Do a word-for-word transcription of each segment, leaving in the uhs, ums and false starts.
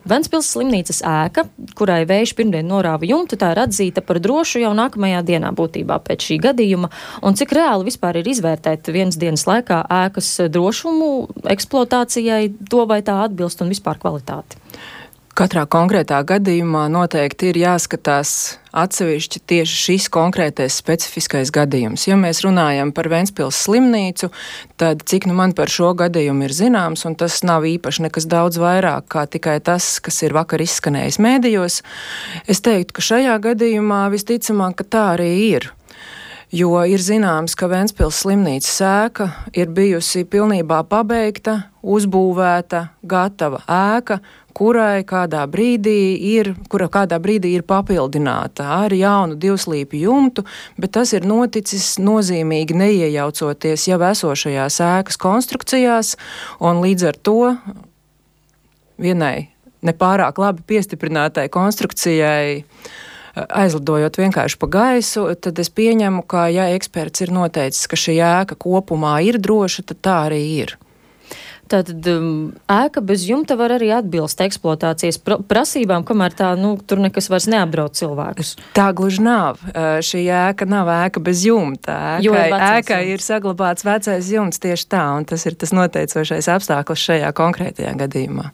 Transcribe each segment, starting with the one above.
Ventspils slimnīcas ēka, kurai vējš pirmdien norāva jumtu, tā ir atzīta par drošu jau nākamajā dienā būtībā pēc šī gadījuma. Un cik reāli vispār ir izvērtēt vienas dienas laikā ēkas drošumu, eksploatācijai, to vai tā atbilst un vispār kvalitāti? Katrā konkrētā gadījumā noteikti ir jāskatās atsevišķi tieši šis konkrētais specifiskais gadījums. Ja mēs runājam par Ventspils slimnīcu, tad cik nu man par šo gadījumu ir zināms, un tas nav īpaši nekas daudz vairāk kā tikai tas, kas ir vakar izskanējis mēdījos, es teiktu, ka šajā gadījumā visticamāk, ka tā arī ir. Jo ir zināms, ka Ventspils slimnīcas ēka ir bijusi pilnībā pabeigta, uzbūvēta, gatava ēka, kurai kādā brīdī ir, kura kādā brīdī ir papildināta ar jaunu divslīpju jumtu, bet tas ir noticis nozīmīgi neiejaucoties jau esošajās ēkas konstrukcijās, un līdz ar to vienai nepārāk labi piestiprinātai konstrukcijai aizlidojot vienkārši pa gaisu, tad es pieņemu, ka ja eksperts ir noteicis, ka šī ēka kopumā ir droša, tad tā arī ir. Tātad um, ēka bez jumta var arī atbilst eksploatācijas pr prasībām, kamēr tā, nu, tur nekas vairs neapdraud cilvēkus. Tā gluži nav. Uh, šī ēka nav ēka bez jumta. Ēkai, ēkai ir saglabāts vecais jumts tieši tā, un tas ir tas noteicošais apstākļus šajā konkrētajā gadījumā.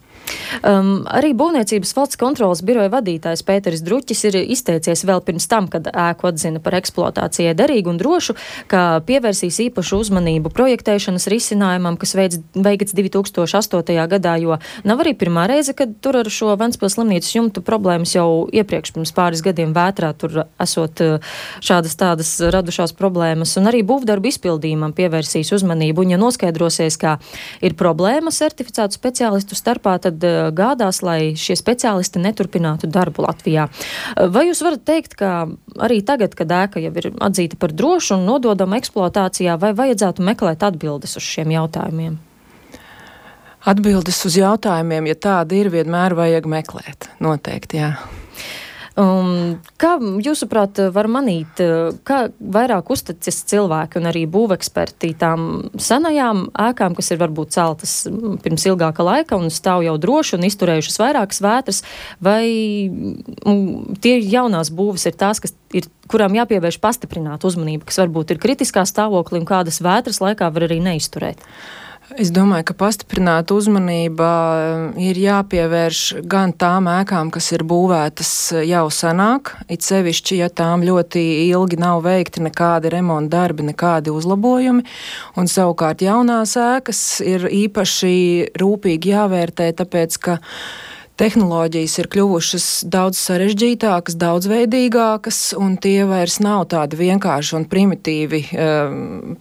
Um, arī Būvniecības valsts kontrolas biroja vadītājs Pēteris Druķis ir izteicies vēl pirms tam, kad ēku atzina par eksploatācijai derīgu un drošu, ka pievērsīs īpašu uzmanību projektēšanas risinājumam, kas veids, veikts divi tūkstoši astotajā gadā, jo nav arī pirmā reize, kad tur ar šo Ventspils slimnīcas jumtu problēmas jau iepriekš pirms pāris gadiem vētrā tur esot šādas tādas radušās problēmas, un arī būvdarbu izpildījumam pievērsīs uzmanību, un ja noskaidrosies, kā ir problēma certificētu speciālistu starpā, tad gādās, lai šie speciālisti neturpinātu darbu Latvijā. Vai jūs varat teikt, ka arī tagad, kad ēka jau ir atzīta par drošu un nododama eksploatācijā, vai vajadzētu meklēt atbildes uz šiem jautājumiem? Atbildes uz jautājumiem, ja tāda ir, vienmēr vajag meklēt. Noteikti, jā. Um, kā jūsuprāt var manīt, kā vairāk uzticas cilvēki un arī būveksperti tām senajām ēkām, kas ir varbūt celtas pirms ilgāka laika un stāv jau droši un izturējušas vairākas vētras, vai um, tie jaunās būves ir tās, kas ir, kurām jāpievērš pastiprināt uzmanību, kas varbūt ir kritiskā stāvoklī un kādas vētras laikā var arī neizturēt? Es domāju, ka pastiprināta uzmanība ir jāpievērš gan tām ēkām, kas ir būvētas jau senāk, it sevišķi, ja tām ļoti ilgi nav veikti nekādi remonta darbi, nekādi uzlabojumi, un savukārt jaunās ēkas ir īpaši rūpīgi jāvērtē, tāpēc, ka tehnoloģijas ir kļuvušas daudz sarežģītākas, daudzveidīgākas, un tie vairs nav tādi vienkārši un primitīvi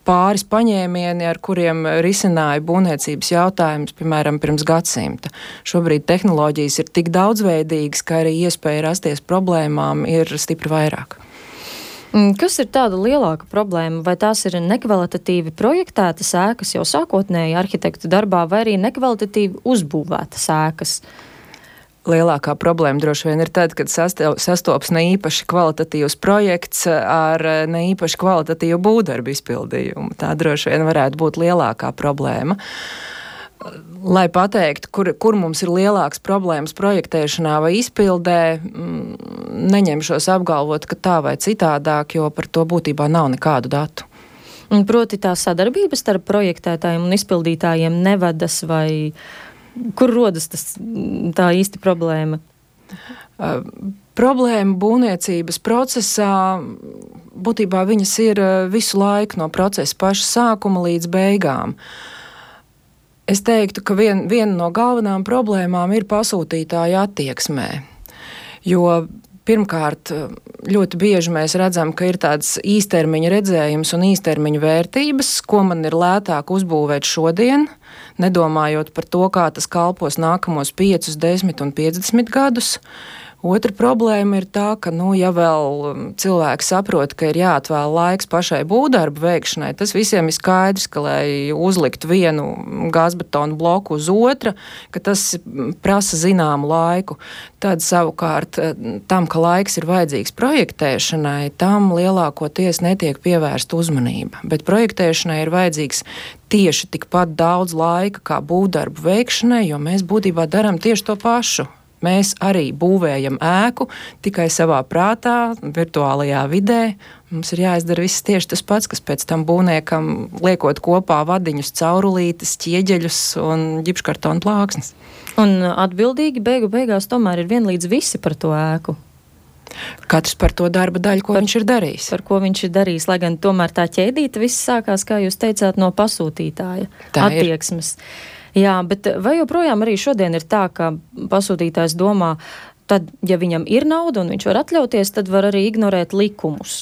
pāris paņēmieni, ar kuriem risināja būvniecības jautājumus, piemēram, pirms gadsimta. Šobrīd tehnoloģijas ir tik daudzveidīgas, ka arī iespēja rasties problēmām ir stipri vairāk. Kas ir tāda lielāka problēma? Vai tās ir nekvalitatīvi projektētas ēkas jau sākotnēji arhitektu darbā, vai arī nekvalitatīvi uzbūvētas ēkas? Lielākā problēma droši vien ir tad, kad sastops ne īpaši kvalitatīvs projekts ar ne īpaši kvalitatīvu būvdarbu izpildījumu. Tā droši vien varētu būt lielākā problēma. Lai pateiktu, kur, kur mums ir lielāks problēmas projektēšanā vai izpildē, neņemšos apgalvot, ka tā vai citādāk, jo par to būtībā nav nekādu datu. Proti tā sadarbības starp projektētājiem un izpildītājiem nevedas vai... Kur rodas tas, tā īsti problēma? Uh, problēma būvniecības procesā, būtībā viņas ir visu laiku no procesa paša sākuma līdz beigām. Es teiktu, ka vien, viena no galvenām problēmām ir pasūtītāja attieksmē, jo pirmkārt, ļoti bieži mēs redzam, ka ir tāds īstermiņa redzējums un īstermiņa vērtības, ko man ir lētāk uzbūvēt šodien, nedomājot par to, kā tas kalpos nākamos piecus, desmit un piecdesmit gadus. Otra problēma ir tā, ka, nu, ja vēl cilvēki saprot, ka ir jāatvēl laiks pašai būvdarbu veikšanai, tas visiem ir skaidrs, ka, lai uzlikt vienu gāzbetonu bloku uz otra, ka tas prasa zināmu laiku. Tad savukārt tam, ka laiks ir vajadzīgs projektēšanai, tam lielākoties netiek pievērsta uzmanība. Bet projektēšanai ir vajadzīgs tieši tikpat daudz laika kā būvdarbu veikšanai, jo mēs būtībā darām tieši to pašu. Mēs arī būvējam ēku tikai savā prātā, virtuālajā vidē. Mums ir jāizdara viss tieši tas pats, kas pēc tam būvniekam liekot kopā vadiņus, caurulītes, ķieģeļus un ģipškartona plāksnes. Un atbildīgi beigu beigās tomēr ir vienlīdz visi par to ēku. Katrs par to darba daļu, ko par, viņš ir darījis. Par ko viņš ir darījis, lai gan tomēr tā ķēdīte viss sākās, kā jūs teicāt, no pasūtītāja tā attieksmes. Ir. Jā, bet vai joprojām arī šodien ir tā, ka pasūtītājs domā, tad, ja viņam ir nauda un viņš var atļauties, tad var arī ignorēt likumus?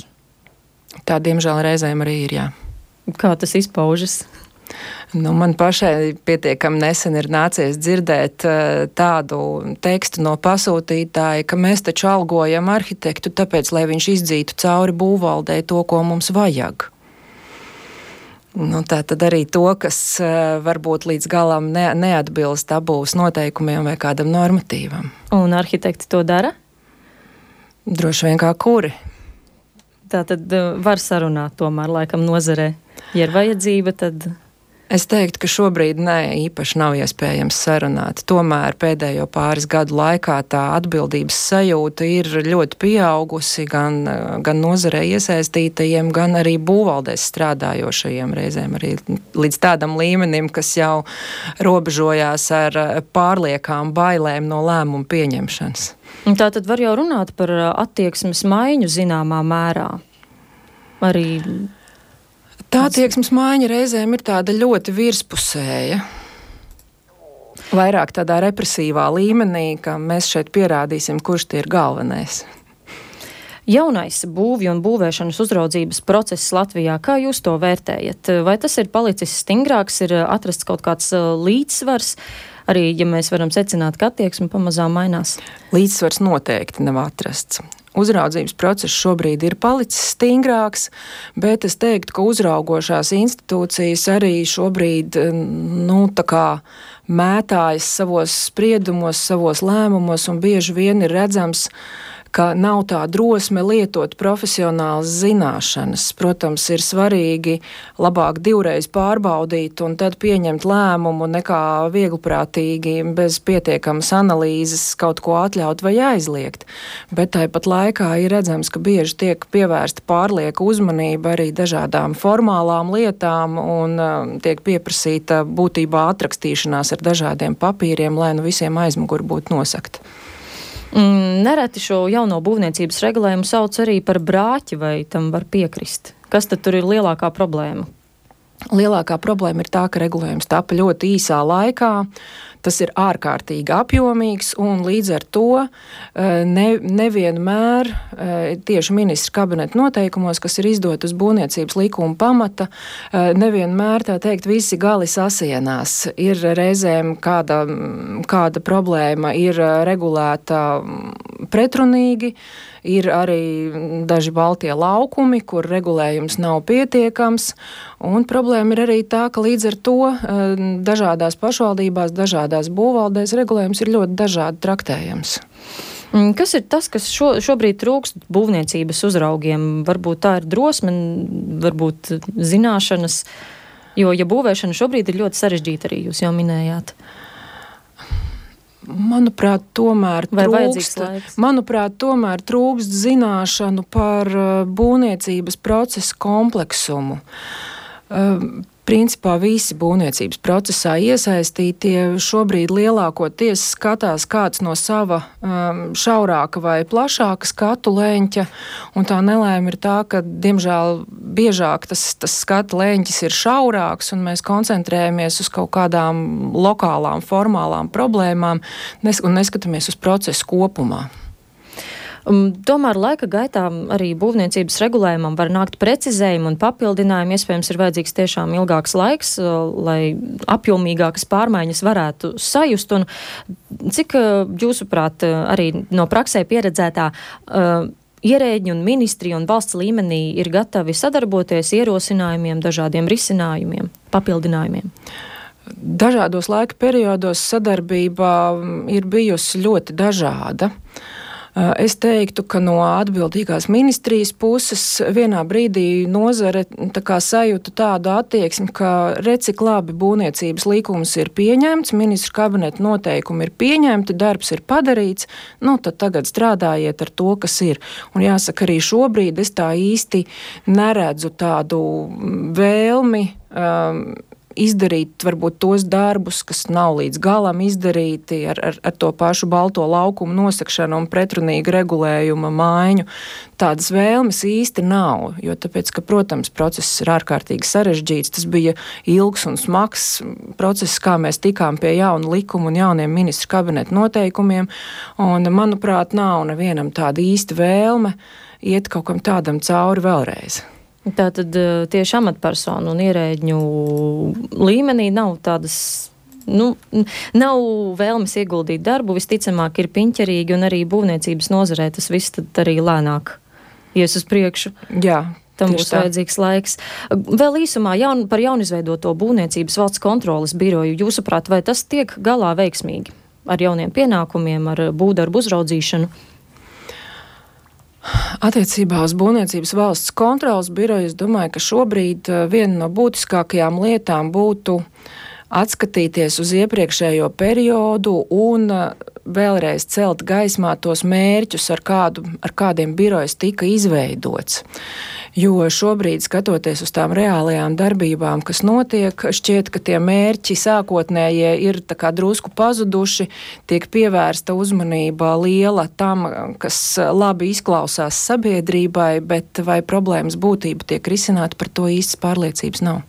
Tā, diemžēl, reizēm arī ir, jā. Kā tas izpaužas? Nu, man pašai pietiekami nesen ir nācies dzirdēt uh, tādu tekstu no pasūtītāja, ka mēs taču algojam arhitektu, tāpēc, lai viņš izdzītu cauri būvvaldē to, ko mums vajag. Nu, tā tad arī to, kas uh, varbūt līdz galam ne, neatbilst abūs noteikumiem vai kādam normatīvam. Un arhitekti to dara? Droši vien kā kuri. Tā tad uh, var sarunāt tomēr laikam nozarē. Ja ir vajadzība, tad... Es teiktu, ka šobrīd ne, īpaši nav iespējams sarunāt. Tomēr pēdējo pāris gadu laikā tā atbildības sajūta ir ļoti pieaugusi gan, gan nozarē iesaistītajiem, gan arī būvvaldēs strādājošajiem reizēm arī līdz tādam līmenim, kas jau robežojās ar pārliekām bailēm no lēmumu pieņemšanas. Tā tad var jau runāt par attieksmes maiņu zināmā mērā. Arī... Tā attieksmes maiņa reizēm ir tāda ļoti virspusēja. Vairāk tādā represīvā līmenī, ka mēs šeit pierādīsim, kurš tie ir galvenais. Jaunais būvju un būvēšanas uzraudzības process Latvijā, kā jūs to vērtējat? Vai tas ir palicis stingrāks, ir atrasts kaut kāds līdzsvars? Arī, ja mēs varam secināt, ka attieksme pamazām mainās. Līdzsvars noteikti nav atrasts. Uzraudzības process šobrīd ir palicis stingrāks, bet es teiktu, ka uzraugošās institūcijas arī šobrīd, nu, tā kā mētājas savos spriedumos, savos lēmumos, un bieži vien ir redzams, ka nav tā drosme lietot profesionālas zināšanas. Protams, ir svarīgi labāk divreiz pārbaudīt un tad pieņemt lēmumu nekā viegliprātīgi bez pietiekamas analīzes kaut ko atļaut vai aizliegt. Bet tāpat laikā ir redzams, ka bieži tiek pievērsta pārlieka uzmanība arī dažādām formālām lietām un uh, tiek pieprasīta būtībā atrakstīšanās ar dažādiem papīriem, lai nu visiem aizmuguri būtu nosakta. Nereti šo jauno būvniecības regulējumu sauc arī par brāķi, vai tam var piekrist? Kas tad tur ir lielākā problēma? Lielākā problēma ir tā, ka regulējums tapa ļoti īsā laikā. Tas ir ārkārtīgi apjomīgs un līdz ar to ne, nevienmēr tieši ministra kabineta noteikumos, kas ir izdot uz būvniecības likuma pamata, nevienmēr, tā teikt, visi gali sasienās. Ir reizēm kāda, kāda problēma ir regulēta pretrunīgi, ir arī daži baltie laukumi, kur regulējums nav pietiekams, un problēma ir arī tā, ka līdz ar to dažādās pašvaldībās, dažādās būvvaldēs regulējums ir ļoti dažādi traktējams. Kas ir tas, kas šo, šobrīd trūkst būvniecības uzraugiem? Varbūt tā ir drosme, varbūt zināšanas, jo, ja būvēšana šobrīd ir ļoti sarežģīta, arī jūs jau minējāt. Manuprāt, tomēr trūkst, manuprāt, tomēr trūkst zināšanu par būvniecības procesa kompleksumu. Principā visi būvniecības procesā iesaistītie šobrīd lielākoties skatās kāds no sava um, šaurāka vai plašāka skatu leņķa, un tā nelēma ir tā, ka, diemžēl, biežāk tas, tas skatu leņķis ir šaurāks, un mēs koncentrējamies uz kaut kādām lokālām, formālām problēmām nes- un neskatāmies uz procesu kopumā. Um, tomēr laika gaitā arī būvniecības regulējumam var nākt precizējumi un papildinājumi. Iespējams, ir vajadzīgs tiešām ilgāks laiks, uh, lai apjomīgākas pārmaiņas varētu sajust. Un cik, uh, jūsuprāt, uh, arī no praksē pieredzētā uh, ierēģi un ministri un valsts līmenī ir gatavi sadarboties ierosinājumiem, dažādiem risinājumiem, papildinājumiem? Dažādos laika periodos sadarbība ir bijusi ļoti dažāda. Es teiktu, ka no atbildīgās ministrijas puses vienā brīdī nozare tā kā sajūta tādu attieksmi, ka recik labi būvniecības likums ir pieņemts, ministru kabineta noteikumi ir pieņemti, darbs ir padarīts, nu tad tagad strādājiet ar to, kas ir. Un jāsaka, arī šobrīd es tā īsti neredzu tādu vēlmi um, izdarīt varbūt tos darbus, kas nav līdz galam izdarīti ar, ar, ar to pašu balto laukumu nosakšanu un pretrunīgu regulējuma maiņu. Tādas vēlmes īsti nav, jo tāpēc, ka, protams, process ir ārkārtīgi sarežģīts, tas bija ilgs un smags process, kā mēs tikām pie jaunu likumu un jauniem ministru kabineta noteikumiem, un, manuprāt, nav nevienam tāda īsta vēlme iet kaut kam tādam cauri vēlreiz. Tātad tieši amatpersonu un ierēģņu līmenī nav tādas, nu, nav vēlmes ieguldīt darbu, visticamāk ir piņķerīgi un arī būvniecības nozarē tas viss tad arī lēnāk ies uz priekšu. Jā. Tam būs vajadzīgs laiks. Vēl īsumā jaun, par jaunizveidoto būvniecības valsts kontroles biroju. Jūsuprāt, vai tas tiek galā veiksmīgi ar jauniem pienākumiem, ar būvdarbu uzraudzīšanu? Attiecībā uz būvniecības valsts kontrolas biroju es domāju, ka šobrīd viena no būtiskākajām lietām būtu atskatīties uz iepriekšējo periodu un vēlreiz celt gaismā tos mērķus, ar, kādu, ar kādiem birojas tika izveidots. Jo šobrīd, skatoties uz tām reālajām darbībām, kas notiek, šķiet, ka tie mērķi sākotnējie ir tā kā drusku pazuduši, tiek pievērsta uzmanība liela tam, kas labi izklausās sabiedrībai, bet vai problēmas būtība tiek risināta, par to īstas pārliecības nav.